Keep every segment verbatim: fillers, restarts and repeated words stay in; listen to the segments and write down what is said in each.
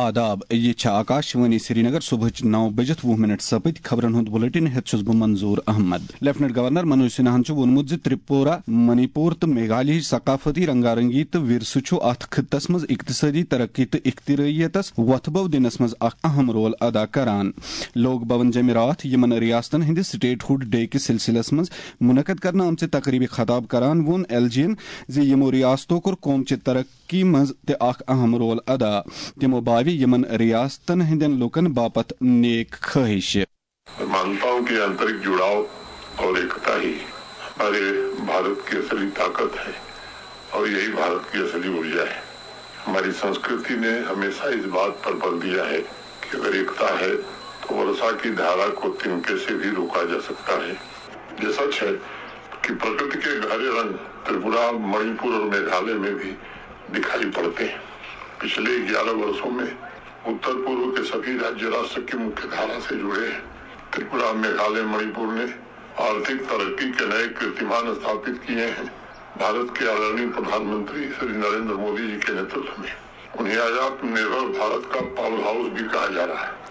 آداب، یہِ چھےٚ آکاش وانی سرینگر۔ صبحٕچ نو بجِتھ وُہ منٹ سپٕدۍ۔ خبرن ہُنٛد بُلٹن ہٮ۪تھ چھُس بہٕ منظور احمد۔ لیفٹننٹ گورنر منوج سنہاہن چھُ ووٚنمُت زِ ترپورہ، منی پور تہٕ میگھالیہٕچ ثقافتی رنگا رنگی تہٕ ورثہٕ چھُ اتھ خطس منٛز اقتصٲدی ترقی تہٕ اختراعیتس وۄتھٕ بو دِنس منٛز اکھ اہم رول ادا کران۔ لوک بھون جمعراتھ، یِمن ریاستن ہٕنٛدِ سٹیٹ ہُڈ ڈے کِس سلسلس منٛز منعقد کرنہٕ آمژِ تقریبہِ خطاب کران ووٚن ایل جی ین زِ یِمو ریاستو کوٚر قومچہِ ترقی منٛز تہِ اکھ اہم رول ادا۔ تِمو باوِ یِمن ریاستن ہٕنٛدٮ۪ن لوٗکن باپتھ نیک خٲہِش۔ میں مانتا ہوں کہ آنترک جڑاؤ اور ایکتا ہی ہمارے بھارت کی اصلی طاقت ہے اور یہی بھارت کی اصلی ارجا ہے۔ ہماری سنسکرتی نے ہمیشہ اس بات پر بل دیا ہے کہ اگر ایکتا ہے تو ورثہ کی دھارا کو تنکے سے بھی روکا جا سکتا ہے۔ یہ سچ ہے کہ پرکرتی کے گہرے رنگ ترپورہ، مणیپور اور میگھالیہ میں بھی دکھائی پڑتے ہیں۔ پچھلے گیارہ ورشوں میں اتر پورو کے سبھی راجیہ راشٹر کی مکھی دھارا سے جڑے ہیں۔ ترپورہ، میگھالیہ، مणیپور نے آرتھک ترقی کے نئے कीर्तिमान स्थापित किए हैं। भारत के आदरणीय प्रधानमंत्री श्री नरेंद्र मोदी जी के नेतृत्व में उन्हें आज आत्मनिर्भर भारत का पावर हाउस भी कहा जा रहा है।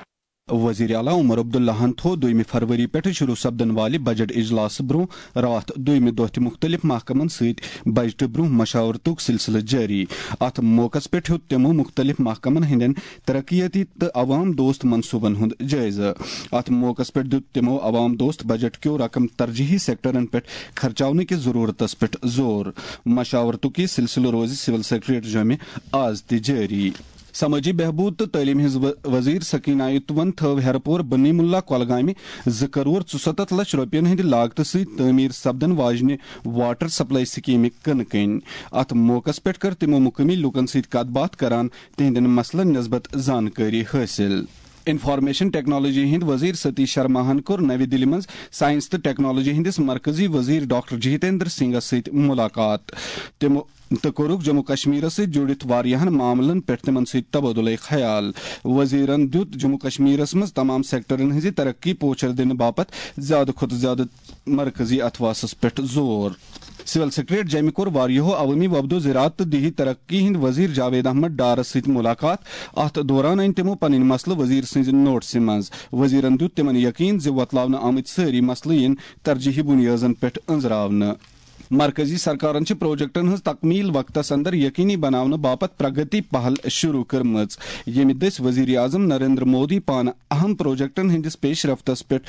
وزیر اعلیٰ عمر عبداللہن تھوو دوٚیمہِ فروری پٮ۪ٹھٕ شروع سپدن والہِ بجٹ اجلاسہٕ برٛونٛہہ راتھ دوٚیمہِ دۄہ تہِ مُختٔلِف محکمن سۭتۍ بجٹہٕ برٛونٛہہ مشاورتُک سلسلہٕ جٲری۔ اتھ موقعس پٮ۪ٹھ ہیوٚت تِمو مُختٔلِف محکمن ہٕنٛدٮ۪ن ترقیتی تہٕ عوام دوست منصوٗبن ہُنٛد جٲیزٕ۔ اتھ موقعس پٮ۪ٹھ دیُت تِمو عوام دوست بجٹ کیو رقم ترجیحی سیکٹرن پٮ۪ٹھ خرچاونہٕ کِس ضروٗرتس پٮ۪ٹھ زور۔ مشاورتُک یہِ سلسلہٕ روزِ سول سیکرٹریٹ جامع آز تہِ جٲری۔ سمٲجی بہبود تہٕ تعلیٖم ہٕنٛز و-، وزیر سکینہ آیتون تھٲو ہیرپور بنی ملا کۄلگامہِ زٕ کرور ژُسَتتھ لچھ رۄپین ہٕنٛدِ لاگتہٕ سۭتۍ تعمیٖر سپدن واجنہِ واٹر سپلائی سکیمہِ کٕنہٕ کٔنۍ۔ اتھ موقعس پٮ۪ٹھ کٔر تِمو مقٲمی لوٗکن سۭتۍ کتھ باتھ کران تِہنٛدٮ۪ن مسلن نسبت زانکٲری حٲصِل۔ انفارمیشن ٹیکنالوجی ہٕنٛدۍ وزیر ستیش شرماہن کوٚر نوِ دِلہِ منٛز سائنس تہٕ ٹیکنالوجی ہٕنٛدِس مرکزی وزیر ڈاکٹر جتیندر سنگھس سۭتۍ ملاقات۔ تِمو تہٕ کوٚرُکھ جموں کشمیرس سۭتۍ جُڑِتھ واریاہن معاملن پٮ۪ٹھ تِمن سۭتۍ تبادلہ خیال۔ وزیرن دیُت جموں کشمیرس منٛز تمام سیکٹرن ہٕنٛزِ ترقی پوچھر دِنہٕ باپتھ زیادٕ کھۄتہٕ زیادٕ مرکزی اتھواسس پٮ۪ٹھ زور۔ سول سیکرٹریٹ جامہِ کوٚر واریاہو عوٲمی وفدو زراعت تہٕ دیہی ترقی ہٕنٛدۍ وزیر جاوید احمد ڈارس سۭتۍ ملاقات۔ اتھ دوران أنۍ تِمو پنٕنۍ مسلہٕ وزیر سٕنٛزِ نوٹسہِ منٛز۔ وزیرن دیُت تِمن یقین زِ وۄتلاونہٕ آمٕتۍ سٲری مسلہٕ یِن ترجیحی بنیادن پٮ۪ٹھ أنٛزراونہٕ۔ مرکزی سرکارن چھِ پروجیکٹن ہٕنٛز تکمیل وقتس اندر یقینی بناونہٕ باپتھ پرگتی پہل شروع کٔرمٕژ، ییٚمہِ دٔسۍ وزیر اعظم نریندر مودی پانہٕ اہم پروجیکٹن ہٕنٛدِس پیش رفتس پٮ۪ٹھ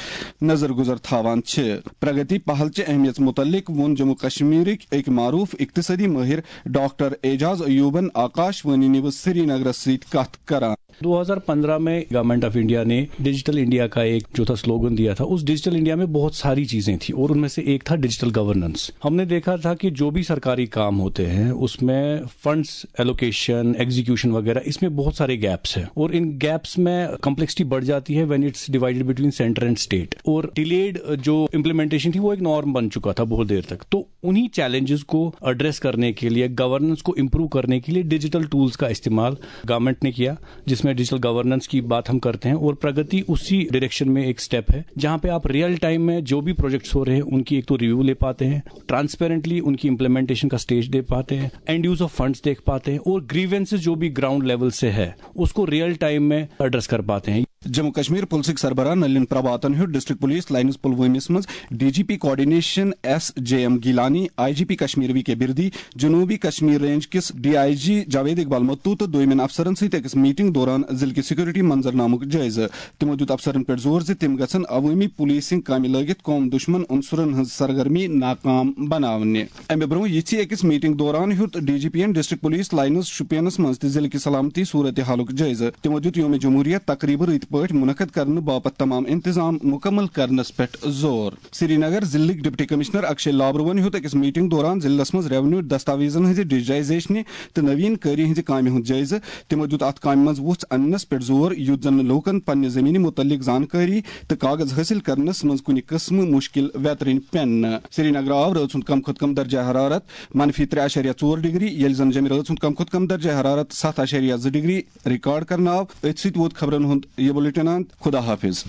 نظر گزر تھاوان چھِ۔ پرگتی پہل چہِ اہمیت متعلق ووٚن جموں کشمیرٕکۍ أکۍ معروف اقتصٲدی مٲہِر ڈاکٹر اعجاز ایوبن آکاش وانی نیوز سرینگرس سۭتۍ کتھ کران۔ دو ہزار پندرہ میں گورنمنٹ آف انڈیا نے ڈیجیٹل انڈیا کا ایک جو تھا سلوگن دیا تھا، اس ڈیجیٹل انڈیا میں بہت ساری چیزیں تھیں اور ان میں سے ایک تھا ڈیجیٹل گورننس۔ ہم نے دیکھا تھا کہ جو بھی سرکاری کام ہوتے ہیں اس میں فنڈز ایلوکیشن، ایگزیکیوشن وغیرہ، اس میں بہت سارے گیپس ہیں اور ان گیپس میں کمپلیکسٹی بڑھ جاتی ہے when it's divided between centre and state۔ اور ڈیلیڈ جو امپلیمنٹیشن تھی وہ ایک نارم بن چکا تھا بہت دیر تک۔ تو انہیں چیلنجز کو ایڈریس کرنے کے لیے، گورننس کو امپروو کرنے کے لیے ڈیجیٹل ٹولز کا استعمال گورنمنٹ نے کیا، جس میں ڈیجیٹل گورننس کی بات ہم کرتے ہیں اور پرگتی اسی ڈائریکشن میں ایک اسٹیپ ہے جہاں پہ آپ ریئل ٹائم میں جو بھی پروجیکٹس ہو رہے ہیں ان کی ایک تو ریویو لے پاتے ہیں، ٹرانسپیرنٹلی ان کی امپلیمنٹیشن کا اسٹیج دے پاتے ہیں، اینڈ یوز آف فنڈز دیکھ پاتے ہیں اور گریونسز جو بھی گراؤنڈ لیول سے ہے اس کو ریئل ٹائم میں ایڈریس کر پاتے ہیں۔ جموں کشمیر پُلسٕکۍ سربراہ نلین پربھاتن ہیوٚت ڈسٹرکٹ پُلیٖس لاینز پُلوٲمِس منٛز D G P coordination S J M Gilani, I G P Kashmir V K Birdi, جنوبی کشمیر رینج کِس D I G Javed Iqbal Mattoo تہٕ دوٚیمٮ۪ن افسرن سۭتۍ أکِس میٹنگ دوران ضلعہٕ کہِ سیکورٹی منظرنامُک جٲیزٕ۔ تِمو دیُت افسرن پٮ۪ٹھ زور زِ تِم گژھن عوٲمی پُلیسنگ کامہِ لٲگِتھ قوم دُشمن عنصرن ہٕنٛز سرگرمی ناکام بناونہِ۔ امہِ برٛونٛہہ یِژھِ أکِس میٹنگ دوران ہیوٚت ڈی جی پی ین ڈسٹرکٹ پُلیٖس لاینز شوپینس منٛز تہِ ضلعہٕ کہِ سلامتی صورتحالُک جٲیزٕ۔ تِمو دیُت یوم جمہوریہ تقریبہٕ رٕتۍ پٲٹھۍ منعقد کرنہٕ باپتھ تمام انتظام مکمل کرنس پٮ۪ٹھ زور۔ سرینگر ضلعٕکۍ ڈپٹی کمشنر اکشے لابروَن ہیوٚت أکِس میٹنگ دوران ضلعس منٛز ریونیو دستاویزن ہٕنٛزِ ڈیجیٹائزیشنہِ تہٕ نوین کٲری ہٕنٛزِ کامہِ ہُنٛد جٲیزٕ۔ تِمو دیُت اتھ کامہِ منٛز وُژھ اننس پٮ۪ٹھ زور، یُتھ زن لوٗکن پننہِ زٔمیٖنہِ مُتعلق زانکٲری تہٕ کاغذ حٲصِل کرنس منٛز کُنہِ قٕسمہٕ مُشکِل ویترٕنۍ پٮ۪ن نہٕ۔ سرینگرٕ آو رٲژ ہُنٛد کم کھۄتہٕ کم درجہ حرارت منفی ترٛےٚ اعشاریہ ژور ڈگری، ییٚلہِ زن جیٚمہِ رٲژ ہُنٛد کم کھۄتہٕ کم درجہ حرارت ستھ اعشاریہ زٕ ڈگری ریکارڈ کرنہٕ آو۔ أتھۍ سۭتۍ ووت خبرن ہُنٛد یہِ بُلٹن اند۔ خدا حافظ۔